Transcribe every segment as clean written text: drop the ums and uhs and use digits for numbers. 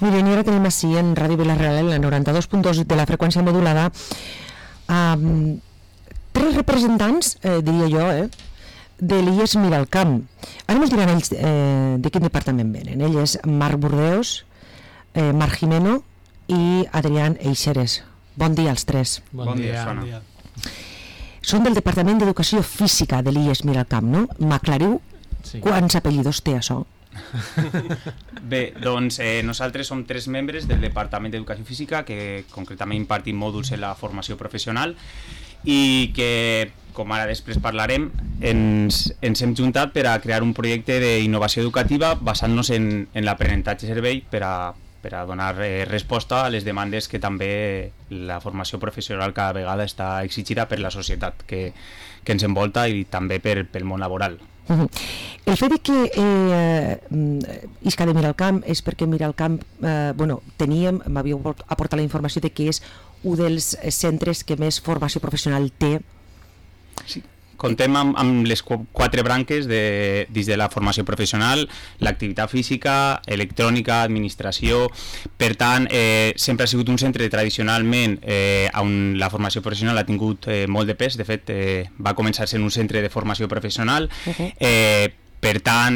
Miren, i ara tenim així en Ràdio Vila-real, en la 92.2 de la freqüència modulada, tres representants, diria jo, de l'IES Miralcamp. Ara ens diran ells de quin departament venen. Ell és Marc Burdeos, Marc Jimeno i Adrián Eixeres. Bon dia als tres. Bon dia. Bon dia. Són del Departament d'Educació Física de l'IES Miralcamp, no? M'aclariu quants apellidos té això? Bé, doncs nosaltres som tres membres del Departament d'Educació Física que concretament impartim mòduls en la formació professional i que, com ara després parlarem, ens hem juntat per a crear un projecte d'innovació educativa basant-nos en l'aprenentatge servei per a donar resposta a les demandes que també la formació professional cada vegada està exigida per la societat que ens envolta i també pel món laboral. El fet que isca de Miralcamp és perquè Miralcamp m'havíeu aportat la informació de que és un dels centres que més formació professional té. Sí. Contem amb les quatre branques dins de la formació professional, l'activitat física, electrònica, administració. Per tant, sempre ha sigut un centre tradicionalment on la formació professional ha tingut molt de pes. De fet, va començar sent un centre de formació professional. Per tant,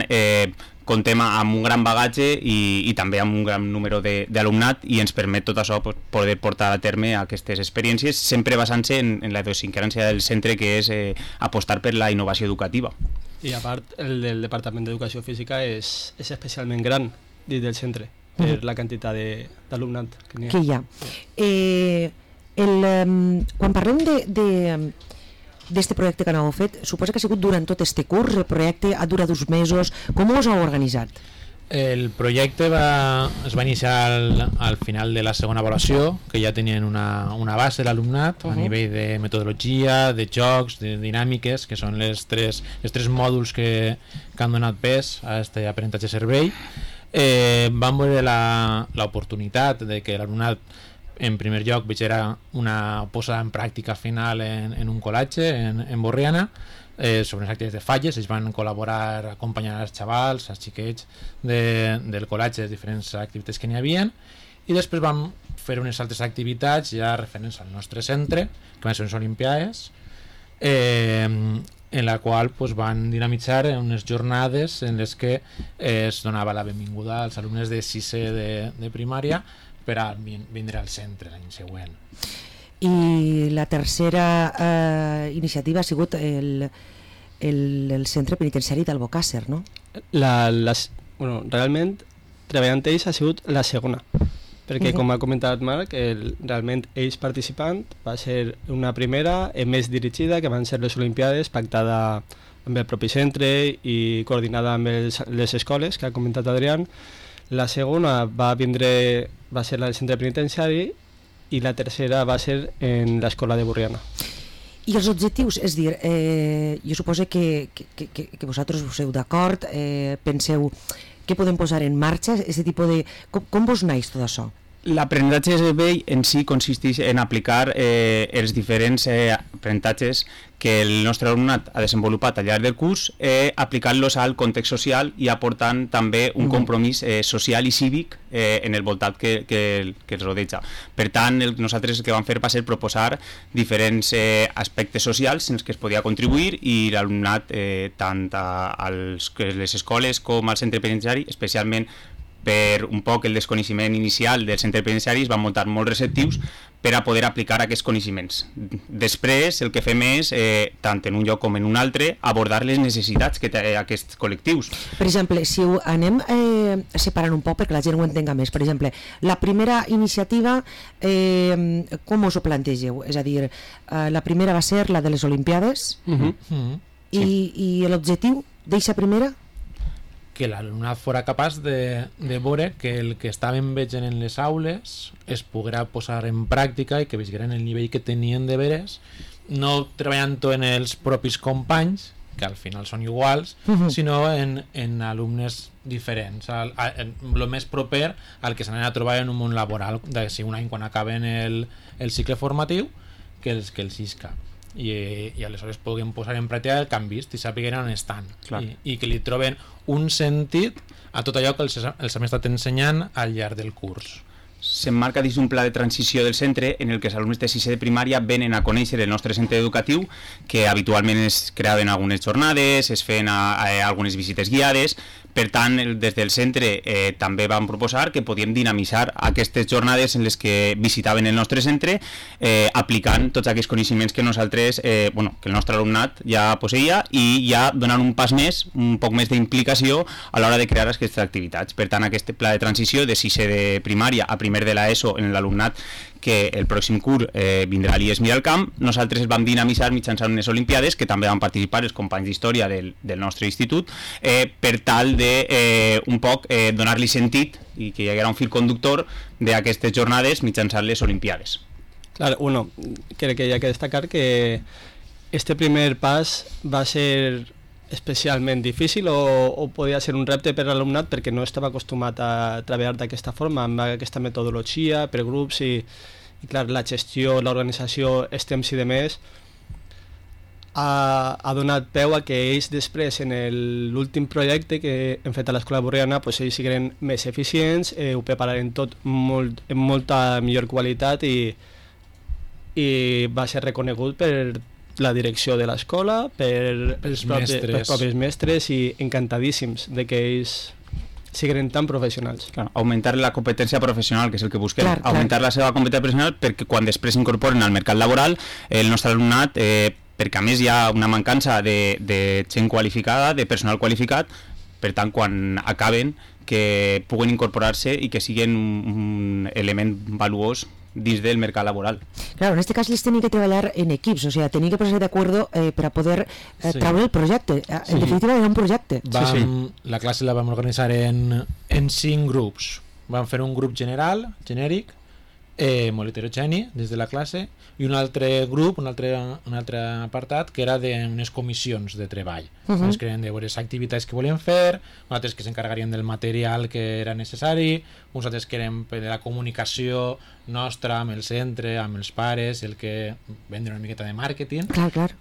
contem amb un gran bagatge i també amb un gran número d'alumnat i ens permet tot això poder portar a terme aquestes experiències, sempre basant-se en la idiosincràsia del centre, que és apostar per la innovació educativa. I a part, el del Departament d'Educació Física és especialment gran dins del centre, per la quantitat d'alumnat que hi ha. Quan parlem d'este projecte que anàveu fet, suposa que ha sigut durant tot este curs, el projecte ha durat 2 mesos, com us heu organitzat? El projecte es va iniciar al final de la segona avaluació, que ja tenien una base l'alumnat a nivell de metodologia, de jocs, de dinàmiques, que són els tres mòduls que han donat pes a aquest aprenentatge servei. Vam veure l'oportunitat de que l'alumnat en primer lloc era una posada en pràctica final en un col·latge en Borriana sobre les activitats de falles. Ells van col·laborar acompanyant els xavals, els xiquets del col·latge, les diferents activitats que n'hi havia, i després vam fer unes altres activitats ja referents al nostre centre, que van ser unes olimpiades, en la qual van dinamitzar unes jornades en les que es donava la benvinguda als alumnes de 6è de primària per a vindre al centre l'any següent. I la tercera iniciativa ha sigut el centre penitenciari d'Albocàsser, no? Realment, treballant ells ha sigut la segona, perquè com ha comentat Marc, realment ells participant va ser una primera més dirigida, que van ser les Olimpiades, pactada amb el propi centre i coordinada amb les escoles, que ha comentat Adrián. La segona va ser al centre penitenciari i la tercera va ser en l'escola de Borriana. I els objectius, és dir, jo suposo que vosaltres us heu d'acord, penseu què podem posar en marxa, aquest tipus de... Com vos naix tot això? L'aprenentatge de servei en si consisteix en aplicar els diferents aprenentatges que el nostre alumnat ha desenvolupat al llarg del curs, aplicant-los al context social i aportant també un compromís social i cívic en el voltat que els rodeja. Per tant, nosaltres el que vam fer va ser proposar diferents aspectes socials en els que es podia contribuir i l'alumnat, tant a les escoles com al centre penitenciari, especialment per un poc el desconeixement inicial del centre penitenciari, es van muntar molt receptius per a poder aplicar aquests coneixements. Després, el que fem és, tant en un lloc com en un altre, abordar les necessitats que té aquests col·lectius. Per exemple, si ho anem separant un poc perquè la gent ho entenga més, per exemple, la primera iniciativa, com us ho plantegeu? És a dir, la primera va ser la de les Olimpiades, i l'objectiu d'eixa primera? Que l'alumnat fora capaç de veure que el que estaven veient en les aules es poguera posar en pràctica i que vegeren el nivell que tenien de veres, no treballant-ho en els propis companys, que al final són iguals, sinó en alumnes diferents, el més proper al que s'anaven a trobar en un món laboral d'aquí un any quan acaben el cicle formatiu, que els isca. I aleshores puguin posar en pràctica el que han vist i sàpiguen on estan i que li troben un sentit a tot allò que els hem estat ensenyant al llarg del curs. S'emmarca dins d'un pla de transició del centre en el que els alumnes de sisè de primària venen a conèixer el nostre centre educatiu, que habitualment es creaven algunes jornades, es feien algunes visites guiades. Per tant, des del centre també vam proposar que podíem dinamitzar aquestes jornades en les que visitaven el nostre centre, aplicant tots aquests coneixements que nosaltres, que el nostre alumnat ja posseïa, i ja donant un pas més, un poc més d'implicació a l'hora de crear aquestes activitats. Per tant, aquest pla de transició de sisè de primària a primer de l'ESO en l'alumnat que el pròxim curs vindrà a l'IES Miralcamp, nosaltres el vam dinamitzar mitjançant unes olimpiades que també van participar els companys d'història del nostre institut, per tal de un poc donar-li sentit i que hi haguera un fil conductor d'aquestes jornades mitjançant les olimpiades. Claro, crec que hi ha que destacar que este primer pas va ser especialment difícil o podia ser un repte per a l'alumnat perquè no estava acostumat a treballar d'aquesta forma, amb aquesta metodologia per grups i clar, la gestió, l'organització, els temps i demés ha donat peu a que ells després en l'últim projecte que hem fet a l'Escola Borriana ells siguin més eficients, ho prepararen tot amb molta millor qualitat i va ser reconegut per la direcció de l'escola, pels propis mestres i encantadíssims de que ells siguin tan professionals. Claro, augmentar la competència professional, que és el que busquem, augmentar la seva competència professional perquè quan després s'incorporen al mercat laboral el nostre alumnat, perquè a més hi ha una mancança de gent qualificada, de personal qualificat, per tant quan acaben que puguen incorporar-se i que siguin un element valuós dins del mercat laboral. Claro, en este cas les tenía que treballar en equips, o sea, tenía que ponerse de acuerdo para poder traure el projecte. En definitiva era un projecte. La classe la vam organitzar en 5 grups. Vam fer un grup general, genèric, molt heterogeni des de la classe, i un altre grup, un altre apartat que era d'unes comissions de treball. Uns que eren de veure les activitats que volien fer, uns altres que s'encarregarien del material que era necessari, uns altres que eren de la comunicació nostra amb el centre, amb els pares, el que vendre una miqueta de màrqueting. Clar.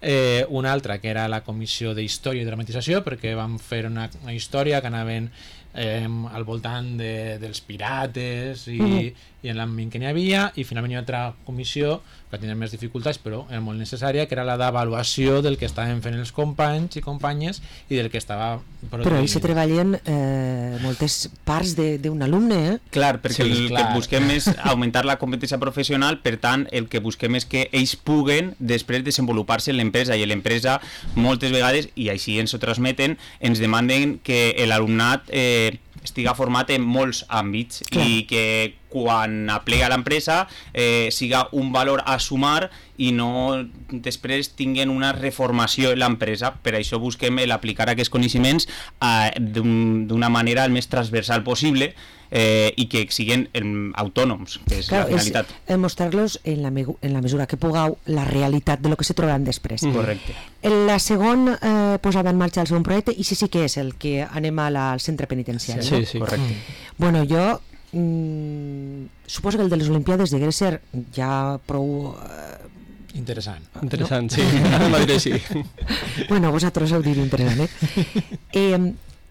Una altra que era la comissió d'història i dramatització, perquè vam fer una història que anaven al voltant dels pirates i en l'àmbit que n'hi havia, i finalment hi ha altra comissió que tenia més dificultats però era molt necessària, que era la d'avaluació del que estaven fent els companys i companyes i del que estava produint. Però ells se treballen moltes parts d'un alumne, Clar, perquè el que busquem és augmentar la competència professional, per tant el que busquem és que ells puguen després desenvolupar-se en l'empresa, i l'empresa moltes vegades, i així ens ho transmeten, ens demanden que l'alumnat estiga format en molts àmbits i que quan aplega a l'empresa siga un valor a sumar i no després tinguin una reformació en l'empresa. Per això busquem l'aplicar aquests coneixements d'una manera el més transversal possible i que siguin autònoms, que és la finalitat. És mostrar-los en la mesura que pugueu la realitat de lo que se trobaran després. Correcte. La segona posada en marxa el segon projecte, i sí que és el que anem al centre penitenciari. Sí, correcte. Bueno, jo suposo que el de les Olimpiades degué ser ja prou interessant, sí, a Madrid sí. Bueno, vosaltres heu dit interessant,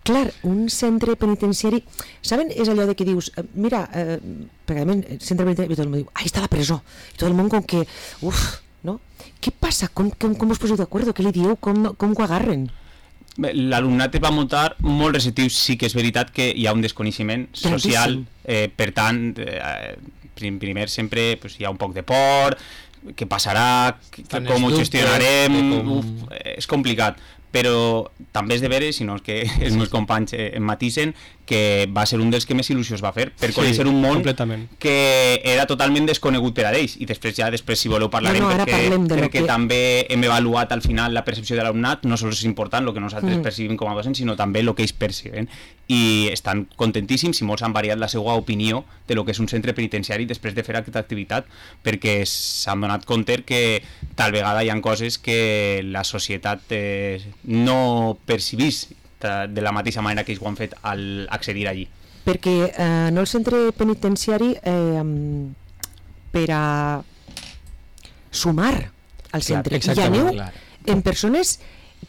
clar, un centre penitenciari, saben, és allò de que dius, mira, perquè a el centre penitenciari, i tot el món diu, ahí està la presó, i tot el món com que, no? Què passa? Com us poseu d'acord? Què li dieu? Com ho agarren? L'alumnat va muntar molt receptiu. Sí que és veritat que hi ha un desconeixement social, per tant primer sempre hi ha un poc de por, què passarà, com ho gestionarem, és complicat, però també és de veure, sinó que els meus companys em matisen, que va ser un dels que més il·lusió es va fer per conèixer un món que era totalment desconegut per a ells, i després si voleu parlarem, perquè crec que també hem avaluat al final la percepció de l'alumnat, no sols és important el que nosaltres percibim com a docents, sinó també el que ells perceben, i estan contentíssims, i molts han variat la seva opinió de lo que és un centre penitenciari després de fer aquesta activitat, perquè s'han donat compte que tal vegada hi ha coses que la societat no percibís de la mateixa manera que ells ho han fet al accedir allí. Perquè no el centre penitenciari per a sumar al centre, i aneu en persones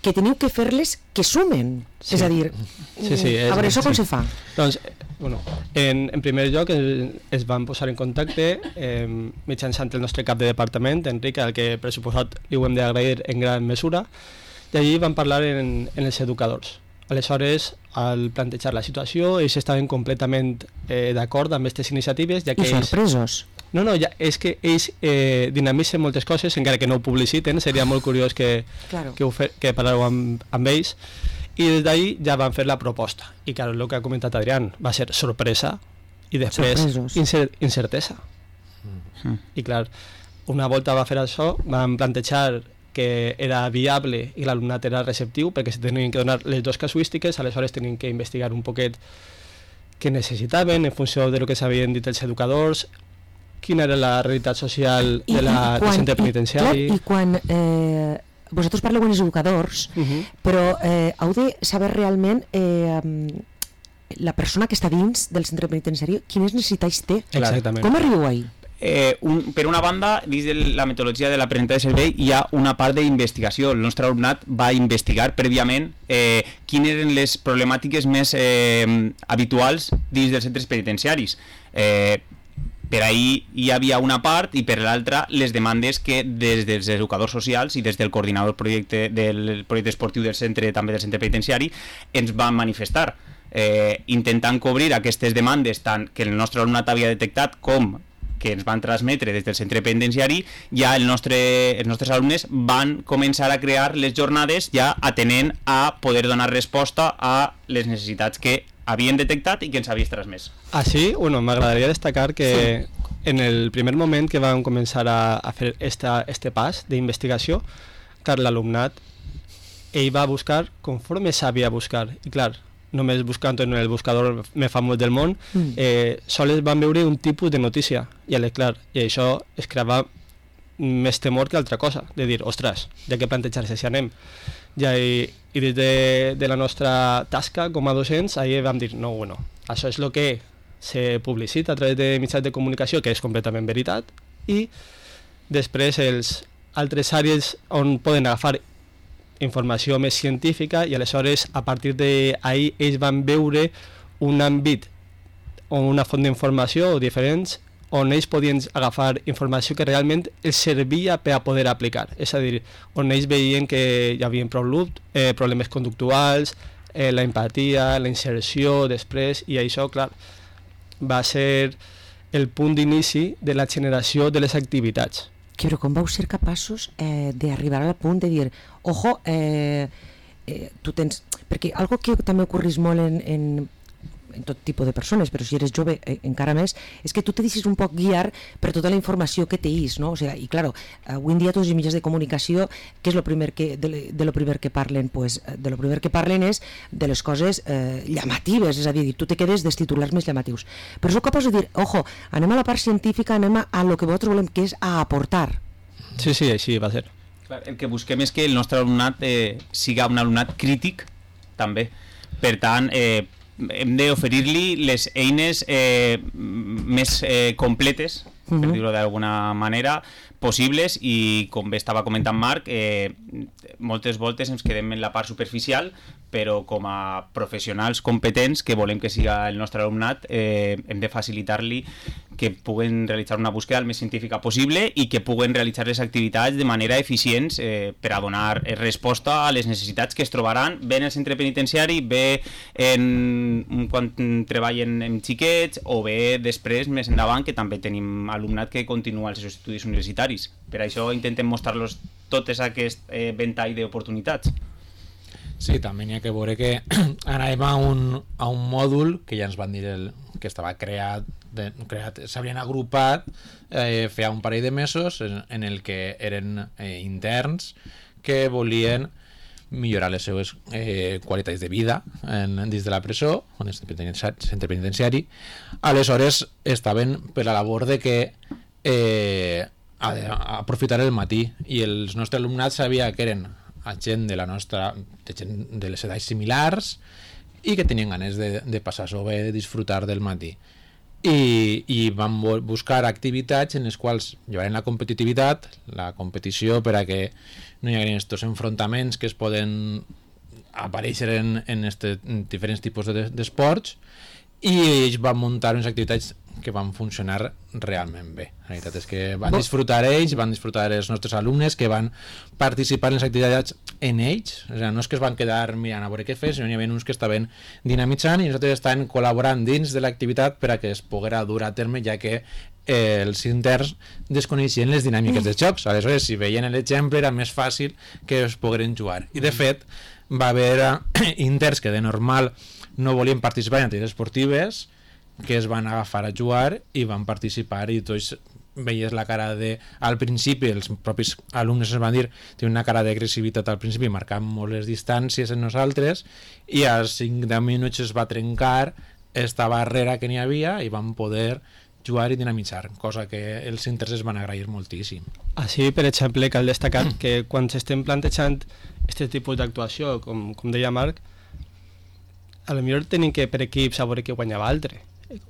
que teniu que fer-les que sumen. Sí. És a dir, a veure, això com se fa? Doncs, bueno, en primer lloc es van posar en contacte mitjançant el nostre cap de departament, Enric, al que per suposat li ho hem d'agrair en gran mesura, i allí van parlar en els educadors. Aleshores, al plantejar la situació, ells estaven completament d'acord amb aquestes iniciatives, ja que I sorpresos. No, ja, és que ells dinamitzen moltes coses, encara que no ho publiciten, seria molt curiós que parleu amb ells, i des d'ahir ja van fer la proposta. I clar, el que ha comentat Adrián va ser sorpresa i després incertesa. I clar, una volta va fer això, van plantejar que era viable i l'alumnat era receptiu, perquè se tenien que donar les dues casuístiques, aleshores tenien que investigar un poquet què necessitaven en funció de lo que s'havien dit els educadors, quina era la realitat social del centre penitenciari. I quan vosaltres parleu amb els educadors, però heu de saber realment la persona que està dins del centre penitenciari quines necessitats té. Exactament. Com arribeu ahí? Per una banda, dins de la metodologia de l'aprenentatge de servei hi ha una part d'investigació. El nostre alumnat va investigar prèviament quines eren les problemàtiques més habituals dins dels centres penitenciaris. Per ahir hi havia una part i per l'altra les demandes que des dels educadors socials i des del coordinador del projecte esportiu del centre, també del centre penitenciari, ens van manifestar, intentant cobrir aquestes demandes tant que el nostre alumnat havia detectat com que ens van transmetre des del centre penitenciari. Ja els nostres alumnes van començar a crear les jornades ja atenent a poder donar resposta a les necessitats que havien detectat i que ens havies transmès. Així, m'agradaria destacar que en el primer moment que vam començar a fer este pas d'investigació, clar, l'alumnat, ell va buscar conforme sabia buscar. I clar, només buscant en el buscador més famós del món, sols van veure un tipus de notícia. I clar, i això es creava més temor que altra cosa, de dir, ostres, ja que plantejar-se si anem. I des de la nostra tasca com a docents, ahir vam dir, no, això és el que se publicita a través de mitjans de comunicació, que és completament veritat, i després els altres àrees on poden agafar informació més científica, i aleshores a partir d'ahir ells van veure un àmbit o una font d'informació diferents on ells podien agafar informació que realment els servia per a poder aplicar. És a dir, on ells veien que hi havia problemes conductuals, la empatia, la inserció després, i això, clar, va ser el punt d'inici de la generació de les activitats. Però com vau ser capaços d'arribar al punt de dir, ojo, tu tens... Perquè algo que també ocorreix molt en tot tipus de persones, però si eres jove encara més, és que tu te deixes un poc guiar per tota la informació que teis, no? O sea, i claro, avui en dia tots els mitjans de comunicació, què és lo primer que parlen? Pues de lo primer que parlen és de les coses llamatives, és a dir, tu te quedes dels titulars més llamatius. Però sou capaç de dir, ojo, anem a la part científica, anem a lo que vosaltres volem, que és a aportar. Sí, així va ser. Clar, el que busquem és que el nostre alumnat siga un alumnat crític, també. Per tant, hem d'oferir-li les eines més completes, per dir-ho d'alguna manera, possibles, i com bé estava comentant Marc, moltes voltes ens quedem en la part superficial, però com a professionals competents que volem que siga el nostre alumnat, hem de facilitar-li que puguen realitzar una búsqueda el més científica possible i que puguen realitzar les activitats de manera eficient per a donar resposta a les necessitats que es trobaran bé en el centre penitenciari, bé quan treballen amb xiquets, o bé després, més endavant, que també tenim alumnat que continua els seus estudis universitaris. Per això intentem mostrar-los tot aquest ventall d'oportunitats. Sí, també n'hi ha que veure que anàvem a un mòdul que ja ens van dir que estava creat, s'havien agrupat feia un parell de mesos en el que eren interns que volien millorar les seues qualitats de vida dins de la presó, en el centre penitenciari. Aleshores estaven per la labor de que aprofitar el matí, i els nostres alumnats sabia que eren gent de les edats similars i que tenien ganes de passar-s'ho bé, de disfrutar del matí. i vam buscar activitats en les quals llevaren la competitivitat, la competició, per a que no hi haguin aquests enfrontaments que es poden aparèixer en diferents tipus d'esports, i ells van muntar unes activitats que van funcionar realment bé. La veritat és que van disfrutar ells, van disfrutar els nostres alumnes que van participar en les activitats en ells, o sigui, no és que es van quedar mirant a veure què fer, sinó que hi havia uns que estaven dinamitzant i nosaltres estàvem col·laborant dins de l'activitat per a que es poguera dur a terme, ja que els interns desconeixien les dinàmiques dels jocs. Aleshores, si veien l'exemple, era més fàcil que es pogueren jugar. I de fet, va haver interns que de normal no volien participar en activitats esportives, que es van agafar a jugar i van participar, i tots veies la cara de... Al principi els propis alumnes ens van dir, tenen una cara d'agressivitat al principi, marcant molt les distàncies en nosaltres, i als 5-10 minuts es va trencar esta barrera que n'hi havia i van poder jugar i dinamitzar, cosa que els interns es van agrair moltíssim. Així, per exemple, cal destacar que quan s'estem plantejant aquest tipus d'actuació, com deia Marc, a lo millor tenim que per equips a veure qui guanyava l'altre,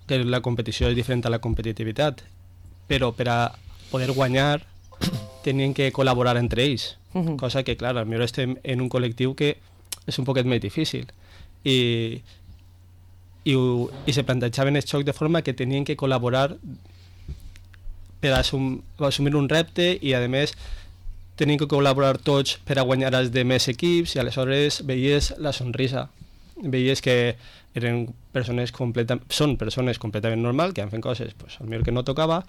que la competició és diferent a la competitivitat, però per a poder guanyar tenien que col·laborar entre ells, cosa que, clar, potser estem en un col·lectiu que és un poquet més difícil, i se plantejaven el xoc de forma que tenien que col·laborar per assumir un repte, i a més tenien que col·laborar tots per a guanyar els de més equips, i aleshores veies la sonrisa, veies que eren són persones completament normals, que han fet coses potser que no tocava,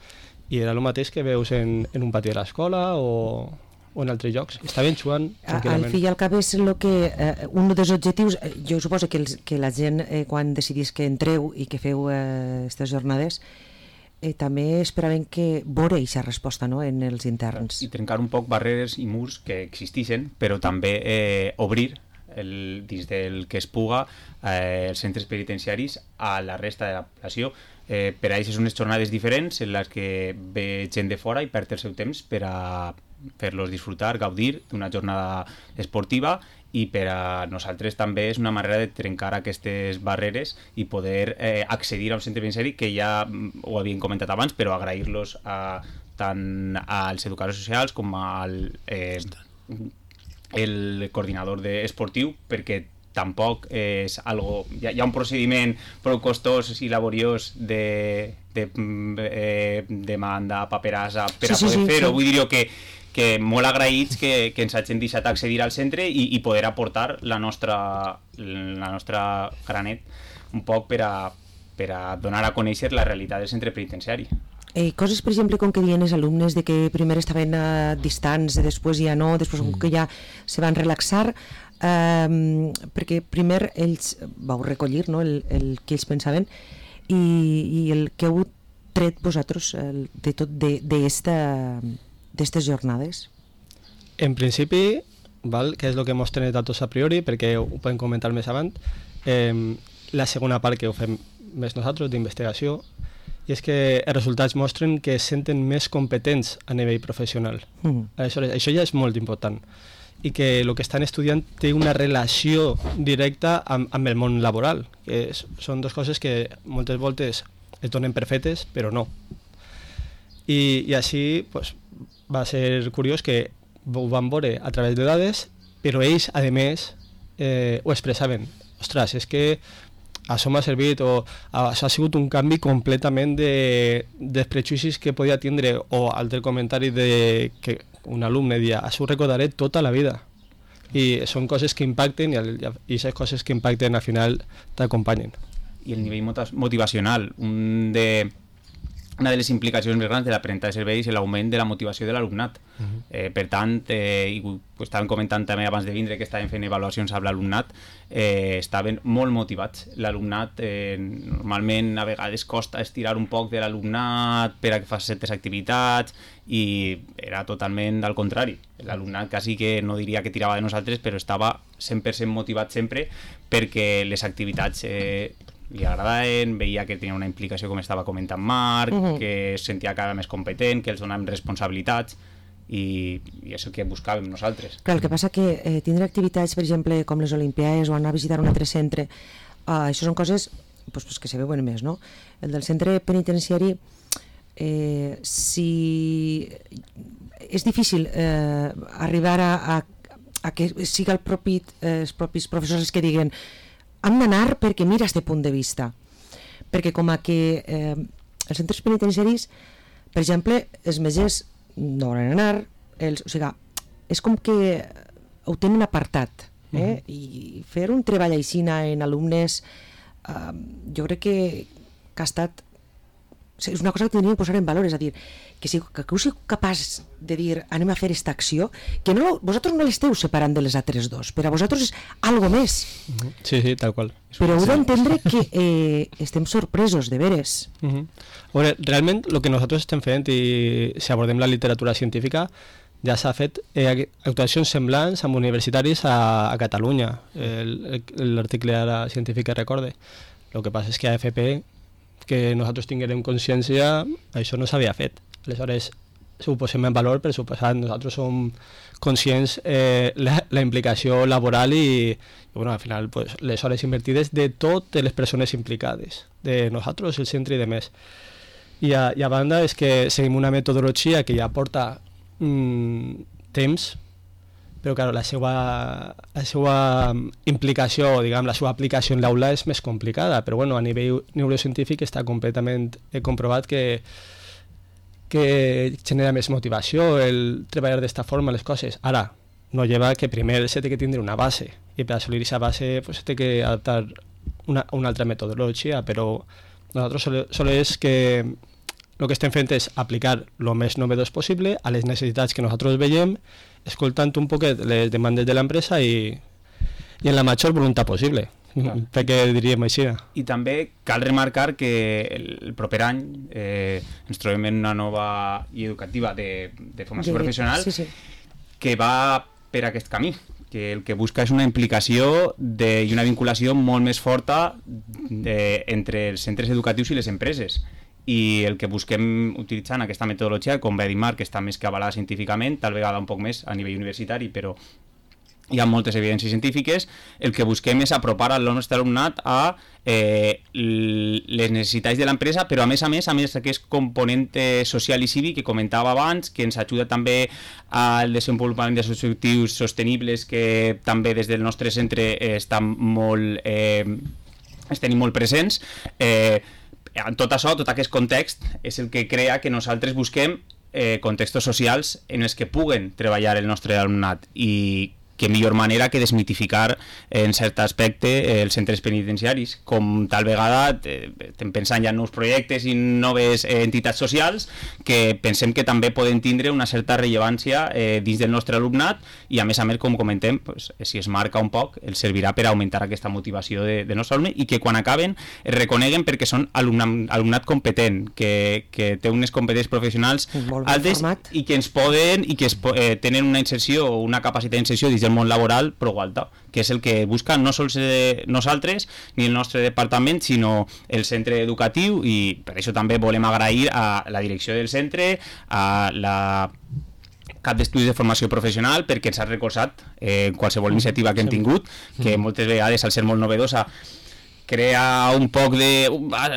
i era el mateix que veus en un pati de l'escola o en altres llocs. Estaven jugant tranquil·lament. Al fi i al cap és un dels objectius. Jo suposo que la gent, quan decidís que entreu i que feu aquestes jornades, també esperaven que veure aquesta resposta, no?, en els interns. I trencar un poc barreres i murs que existeixen, però també obrir dins del que es puga els centres penitenciaris a la resta de la població. Per a ells són unes jornades diferents en les que ve gent de fora i perd el seu temps per a fer-los disfrutar, gaudir d'una jornada esportiva, i per a nosaltres també és una manera de trencar aquestes barreres i poder accedir a un centre penitenciari, que ja ho havien comentat abans, però agrair-los tant als educadors socials com al el coordinador esportiu, perquè tampoc és algo... Hi ha un procediment prou costós i laboriós de demanda, paperassa, per a poder fer-ho. Vull dir que molt agraïts que ens hagin deixat accedir al centre i poder aportar la nostra granet un poc per a donar a conèixer la realitat del centre penitenciari. Coses, per exemple, com que diuen els alumnes de que primer estaven distants, després ja no, després com que ja se van relaxar, perquè primer ells vau recollir, no?, el que ells pensaven, i el que heu tret vosaltres de tot d'estes jornades. En principi, que és el que mos tenet a tots a priori, perquè ho podem comentar més avant, la segona part que ho fem més nosaltres, d'investigació, i és que els resultats mostren que es senten més competents a nivell professional. Aleshores, això ja és molt important, i que el que estan estudiant té una relació directa amb el món laboral, que són dues coses que moltes voltes es donen per fetes, però no. I així va ser curiós que ho van veure a través de dades, però ells, a més, ho expressaven. Ostres, és que això m'ha servit, o això ha sigut un canvi completament dels prejudicis que podia tindre, o altre comentari de que un alumne dia, això ho recordaré tota la vida. I són coses que impacten, i aquestes coses que impacten al final t'acompanyen. I el nivell motivacional, una de les implicacions més grans de l'aprenentatge de serveis és l'augment de la motivació de l'alumnat. Per tant, i ho estàvem comentant també abans de vindre, que estàvem fent avaluacions amb l'alumnat, estaven molt motivats. L'alumnat normalment a vegades costa estirar un poc de l'alumnat per a que faci certes activitats, i era totalment al contrari. L'alumnat quasi que no diria que tirava de nosaltres, però estava 100% motivat sempre, perquè les activitats li agradaven, veia que tenia una implicació, com estava comentant Marc, que es sentia cada més competent, que els donàvem responsabilitats, i és el que buscàvem nosaltres. Clar, el que passa que tindre activitats, per exemple, com les Olimpiades o anar a visitar un altre centre, això són coses pues que se veuen més, no? El del centre penitenciari, si és difícil arribar a que siga els propis professors els que diguen hem d'anar perquè mira este punt de vista, perquè com a que els centres penitenciaris, per exemple, els metges no volen anar, o sigui, és com que ho tenen apartat, i fer un treball aixina en alumnes jo crec que ha estat, és una cosa que tindríem que posar en valor, és a dir, que heu sigut capaç de dir anem a fer aquesta acció, que vosaltres no l'esteu separant de les altres dos, per a vosaltres és algo més. Sí, tal qual. Però heu d'entendre que estem sorpresos, de veres. A veure, realment el que nosaltres estem fent, i si abordem la literatura científica, ja s'ha fet actuacions semblants amb universitaris a Catalunya, l'article ara científic que recorde. El que passa és que a AFP, que nosaltres tinguem consciència, això no s'havia fet. Aleshores, ho posem en valor, per suposat, nosaltres som conscients la implicació laboral i bueno, al final pues, les hores invertides de totes les persones implicades, de nosaltres, el centre i de més. I a banda és que seguim una metodologia que ja porta temps, però claro, la seva implicació, diguem, la seva aplicació en l'aula és més complicada, però bueno, a nivell neurocientífic està completament comprovat que genera més motivació el treballar d'esta forma les coses. Ara, no lleva que primer se té que tindre una base, i per assolir aquesta base pues, se té que adaptar una altra metodologia, però nosaltres solo és que el que estem fent és aplicar el més novedós possible a les necessitats que nosaltres veiem, escoltant un poquet les demandes de l'empresa i en la major voluntat possible, perquè diríem així. I també cal remarcar que el proper any ens trobem en una nova guia educativa de formació professional que va per aquest camí, que el que busca és una implicació i una vinculació molt més forta entre els centres educatius i les empreses. I el que busquem utilitzant aquesta metodologia, com va dir Marc, que està més que avalada científicament, tal vegada un poc més a nivell universitari, però hi ha moltes evidències científiques, el que busquem és apropar al nostre alumnat a les necessitats de l'empresa, però a més aquest component social i cívic que comentava abans, que ens ajuda també al desenvolupament dels objectius sostenibles que també des del nostre centre estan tenim molt presents. Tot això, tot aquest context és el que crea que nosaltres busquem contextos socials en els que puguen treballar el nostre alumnat i que millor manera que desmitificar en cert aspecte els centres penitenciaris, com tal vegada estem pensant ja en nous projectes i noves entitats socials que pensem que també poden tindre una certa rellevància dins del nostre alumnat i a més, com comentem, pues, si es marca un poc, els servirà per augmentar aquesta motivació del nostre alumne i que quan acaben es reconeguen perquè són alumnat competent, que té unes competències professionals altes i que ens poden i que tenen una inserció o una capacitat d'inserció dins del món laboral prou alta, que és el que busca no sols nosaltres ni el nostre departament, sinó el centre educatiu, i per això també volem agrair a la direcció del centre, a la cap d'estudis de formació professional, perquè ens ha recolzat qualsevol iniciativa que hem tingut, que moltes vegades al ser molt novedosa crea un poc de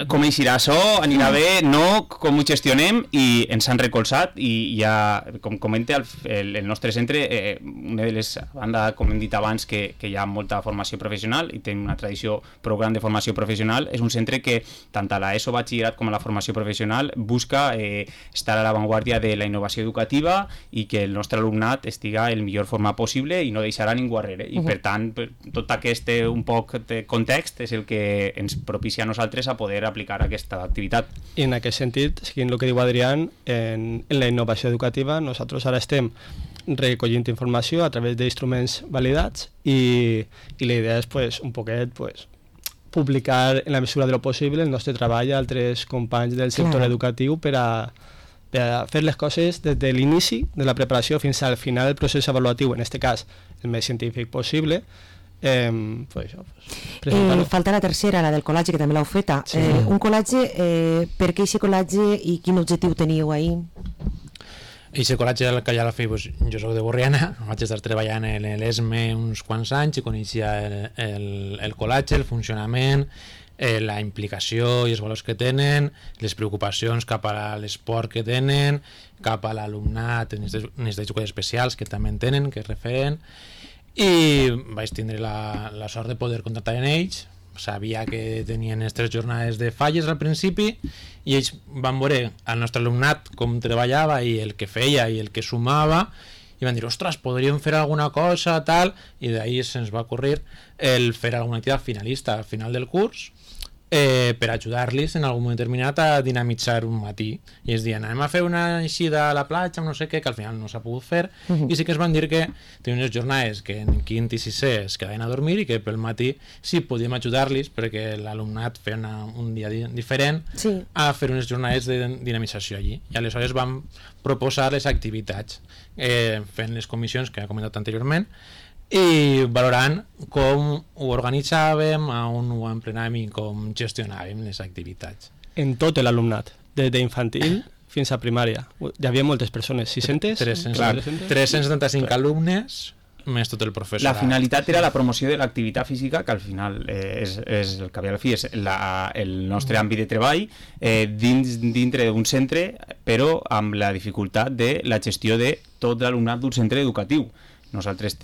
com eixirà això, anirà bé, no, com ho gestionem, i ens han recolzat i ja, com comenta el nostre centre, una de les bandes, com hem dit abans, que hi ha molta formació professional i tenim una tradició prou gran de formació professional, és un centre que tant a l'ESO batxillerat com a la formació professional busca estar a l'avantguàrdia de la innovació educativa i que el nostre alumnat estiga el millor format possible i no deixarà ningú darrere, i per tant tot aquest un poc de context és el que ens propicia a nosaltres a poder aplicar aquesta activitat. I en aquest sentit, seguint el que diu Adrián, en la innovació educativa nosaltres ara estem recollint informació a través d'instruments validats i la idea és pues, un poquet pues, publicar en la mesura de lo possible el nostre treball a altres companys del sector educatiu per a fer les coses des de l'inici de la preparació fins al final del procés avaluatiu, en aquest cas el més científic possible. Falta la tercera, la del col·lagi, que també l'heu feta. Un col·lagi, per què aquest col·lagi i quin objectiu teníeu ahir? Aquest col·lagi que ja l'ha fet, jo soc de Borriana, vaig estar treballant en l'ESME uns quants anys i coneixia el col·lagi, el funcionament, la implicació i els valors que tenen, les preocupacions cap a l'esport que tenen, cap a l'alumnat en necessitats educatives especials que també en tenen, que es referen, i vaig tindre la sort de poder contactar amb ells. Sabia que tenien les 3 jornades de falles al principi i ells van veure el nostre alumnat com treballava i el que feia i el que sumava i van dir, ostres, podríem fer alguna cosa, tal, i d'ahir se'ns va ocorrir el fer alguna activitat finalista al final del curs per ajudar-los en algun moment determinat a dinamitzar un matí. I es diuen, anem a fer una eixida a la platja, no sé què, que al final no s'ha pogut fer, i sí que es van dir que tenien unes jornades que en quint i sisè es quedaven a dormir i que pel matí sí podíem ajudar-los perquè l'alumnat feia un dia diferent a fer unes jornades de dinamització allí. I aleshores vam proposar les activitats fent les comissions que he comentat anteriorment i valorant com ho organitzàvem, on ho emprenàvem i com gestionàvem les activitats. En tot l'alumnat, des d'infantil fins a primària. Hi havia moltes persones, 600? 375 alumnes, més tot el professorat. La finalitat era la promoció de l'activitat física, que al final és el que ve al fi, és el nostre àmbit de treball dintre d'un centre, però amb la dificultat de la gestió de tot l'alumnat d'un centre educatiu. Nosaltres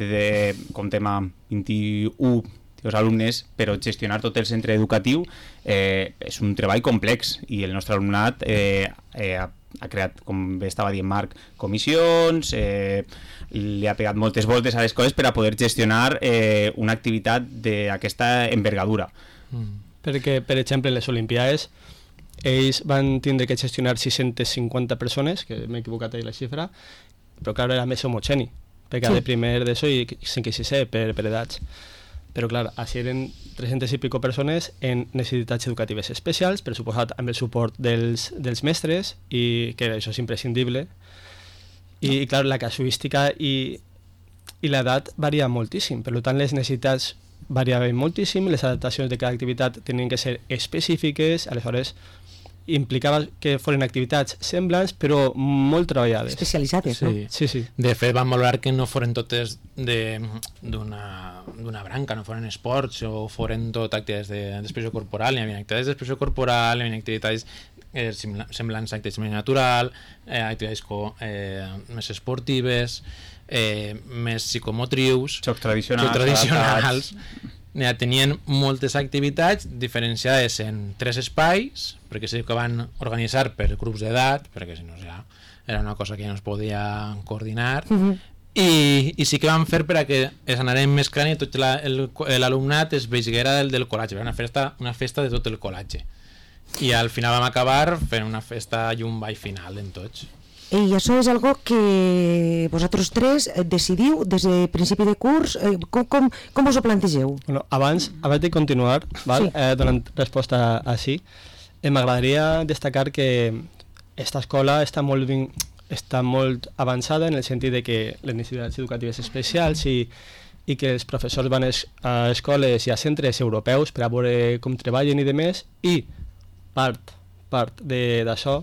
comptem amb 21 alumnes, però gestionar tot el centre educatiu és un treball complex i el nostre alumnat ha creat, com bé estava dient Marc, comissions, li ha pegat moltes voltes a les coses per a poder gestionar una activitat d'aquesta envergadura. Perquè, per exemple, les Olimpiades ells van tindre que gestionar 650 persones, que m'he equivocat ahir la xifra, però clar, era més homogeni, perquè de primer d'ESO i 5 i 6è per edats. Però clar, així eren 300 i pico persones en necessitats educatives especials, per suposat amb el suport dels mestres, i que això és imprescindible. I clar, la casuística i l'edat varia moltíssim, per tant les necessitats variaven moltíssim, les adaptacions de cada activitat tenien que ser específiques, aleshores implicava que foren activitats semblants però molt treballades. Especialitzades, no? Sí. De fet, vam valorar que no foren totes d'una branca, no foren esports o foren tot activitats d'expressió corporal. Hi havia activitats d'expressió corporal, hi havia activitats semblants a activitats més natural, activitats més esportives, més psicomotrius, jocs tradicionals. Tenien moltes activitats diferenciades en 3 espais, perquè sí que van organitzar per grups d'edat, perquè si no ja era una cosa que ja no es podia coordinar, i sí que van fer per a que es anaren mesclant i tot l'alumnat es veiguera del col·latge. Era una festa de tot el col·latge. I al final vam acabar fent una festa i un ball final en tots. I això és algo que vosaltres tres decidiu des de principi de curs, com us ho plantegeu? Bueno, abans de continuar, donant resposta així, m'agradaria destacar que aquesta escola està molt avançada en el sentit de que les necessitats educatives especials i que els professors van a escoles i a centres europeus per a veure com treballen i demés, i part d'això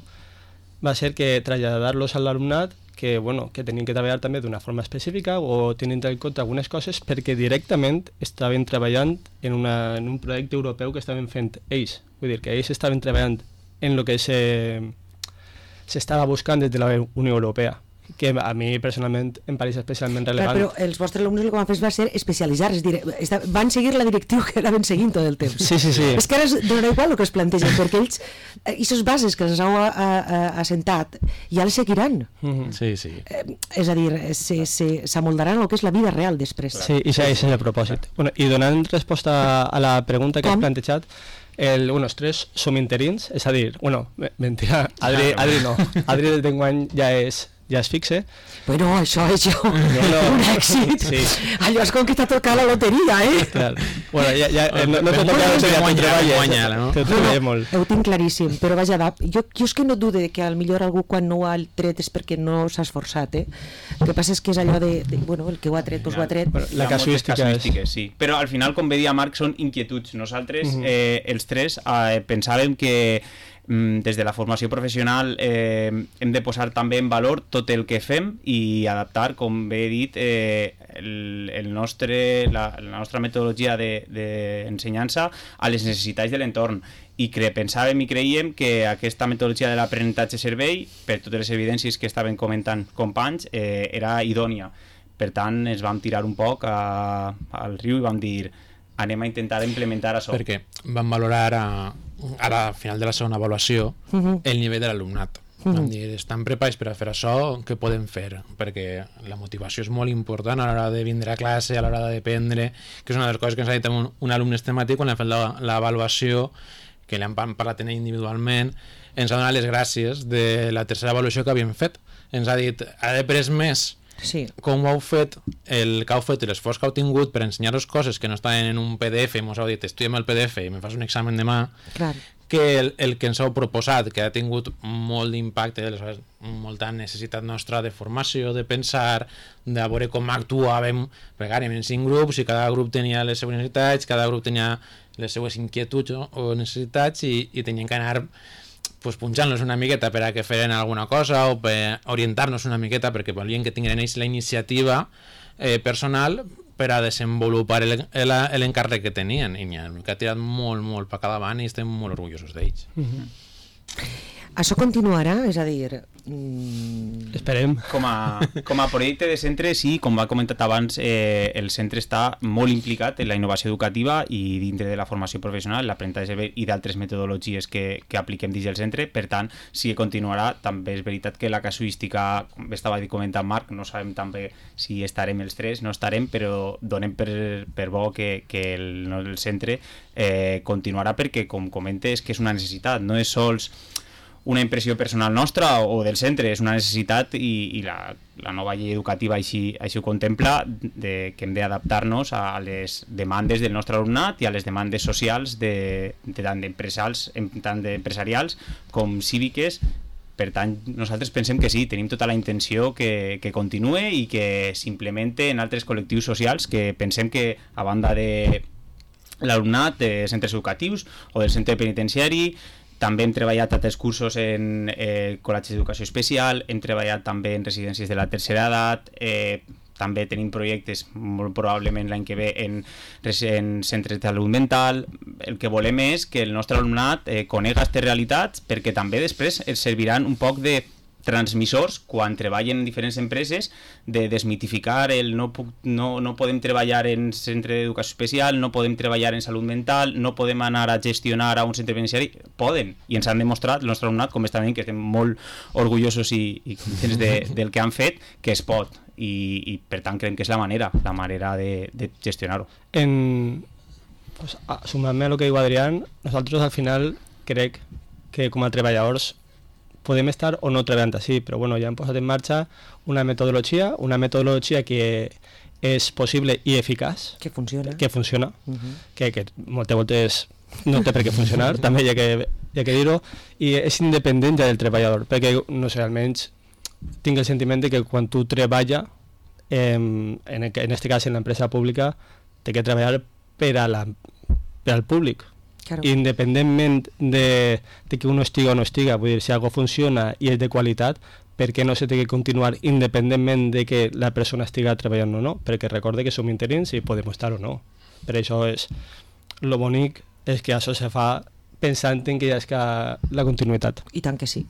va ser que traslladar-los a l'alumnat que tenien que treballar també d'una forma específica o tenint en compte algunes coses perquè directament estaven treballant en un projecte europeu que estaven fent ells. Vull dir que ells estaven treballant en el que s'estava buscant des de la Unió Europea, que a mi personalment em pareix especialment rellevant. Però els vostres alumnes el que van fer va ser especialitzar, és dir, van seguir la directriu que anaven seguint tot el temps. Sí. És que ara donarà igual el que es plantegen, perquè ells, aquestes bases que els heu assentat, ja les seguiran. Sí. És a dir, s'amoldaran el que és la vida real després. Sí, i això és el propòsit. I donant resposta a la pregunta que has plantejat, els tres som interins, és a dir, mentira, Adri no, Adri d'enguany ja es fixe. Bueno, això és un èxit. Sí. Allò és com que t'ha tocat la loteria, Clar. Bueno, no t'ha tocat la loteria, te treballa molt. Ho tinc claríssim, però vaja, jo és que no dude que millor algú quan no ho ha tret és perquè no s'ha esforçat, El que passa és que és allò de el que ho ha tret, doncs ho ha tret. La casuística sí. Però al final, com bé dia Marc, són inquietuds. Nosaltres, els tres, pensàvem que des de la formació professional hem de posar també en valor tot el que fem i adaptar, com bé he dit, la nostra metodologia d'ensenyança a les necessitats de l'entorn. I pensàvem i creiem que aquesta metodologia de l'aprenentatge-servei, per totes les evidències que estaven comentant companys, era idònia. Per tant, ens vam tirar un poc al riu i vam dir anem a intentar implementar això. Perquè vam valorar ara al final de la segona avaluació el nivell de l'alumnat. Vam dir, estan preparats per a fer això, què podem fer? Perquè la motivació és molt important a l'hora de vindre a classe, a l'hora d'aprendre, que és una de les coses que ens ha dit un alumne estemàtic quan hem fet l'avaluació, que l'hem parlat individualment, ens ha donat les gràcies de la tercera avaluació que havíem fet. Ens ha dit, ha après més com ho heu fet, el que heu fet i l'esforç que heu tingut per ensenyar-vos coses que no estaven en un PDF i ens heu dit, estudiem el PDF i me fas un examen demà, que el que ens heu proposat, que ha tingut molt d'impacte, molta necessitat nostra de formació, de pensar, de veure com actuàvem, perquè ara en 5 grups i cada grup tenia les seves necessitats, cada grup tenia les seues inquietuds o necessitats i tenien que anar punxant-los una miqueta per a que feren alguna cosa o per orientar-nos una miqueta perquè volien que tinguin ells la iniciativa personal per a desenvolupar l'encàrrec que tenien i que ha tirat molt per cada avant i estem molt orgullosos d'ells. Això continuarà? És a dir... Esperem. Com a projecte de centre, sí, com va comentat abans, el centre està molt implicat en la innovació educativa i dintre de la formació professional, l'aprenentatge i d'altres metodologies que apliquem dins del centre. Per tant, sí que continuarà. També és veritat que la casuística, com estava comentant Marc, no sabem també si estarem els 3, no estarem, però donem per bo que el centre continuarà perquè, com comentes, que és una necessitat, no és sols una impressió personal nostra o del centre, és una necessitat i la nova llei educativa així ho contempla, que hem d'adaptar-nos a les demandes del nostre alumnat i a les demandes socials tant d'empresarials com cíviques. Per tant, nosaltres pensem que sí, tenim tota la intenció que continue i que s'implemente en altres col·lectius socials que pensem que, a banda de l'alumnat de centres educatius o del centre penitenciari, també hem treballat altres cursos en col·legis d'educació especial, hem treballat també en residències de la tercera edat, també tenim projectes molt probablement l'any que ve en centres de salut mental. El que volem és que el nostre alumnat conega aquestes realitats perquè també després els serviran un poc de transmissors quan treballen en diferents empreses, de desmitificar el no podem treballar en centre d'educació especial, no podem treballar en salut mental, no podem anar a gestionar a un centre penitenciari. Poden, i ens han demostrat el nostre alumnat, com està venint, que estem molt orgullosos i contents del que han fet, que es pot, i per tant creiem que és la manera de gestionar-ho. Sumant-me a el que diu Adrián, nosaltres al final crec que com a treballadors podem estar o no treballant així, però bueno, ja hem posat en marxa una metodologia que és possible i eficaç. Que funciona. Que moltes voltes no té per què funcionar, també hi ha que dir-ho, i és independent ja del treballador, perquè, no sé, almenys tinc el sentiment de que quan tu treballes, en aquest cas en l'empresa pública, té que treballar per al públic. Claro. Independentment de que uno estiga o no estiga, vull dir, si algo funciona i és de qualitat, per què no se té que continuar independentment de que la persona estiga treballant o no? Perquè recorde que som interins i podem estar o no. Per això lo bonic és que això se fa pensant en que hi ha la continuïtat. I tant que sí.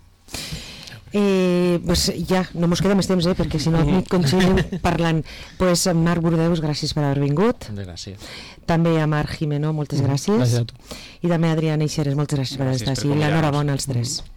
Pues ja, no mos queda més temps, perquè si no continuem parlant. Pues Marc Burdeus, gràcies per haver vingut. Gràcies. També a Marc Jimeno, moltes gràcies. Gràcies a tu. I també a Adrián Eixeres, moltes gràcies per estar així. L'enhorabona als 3.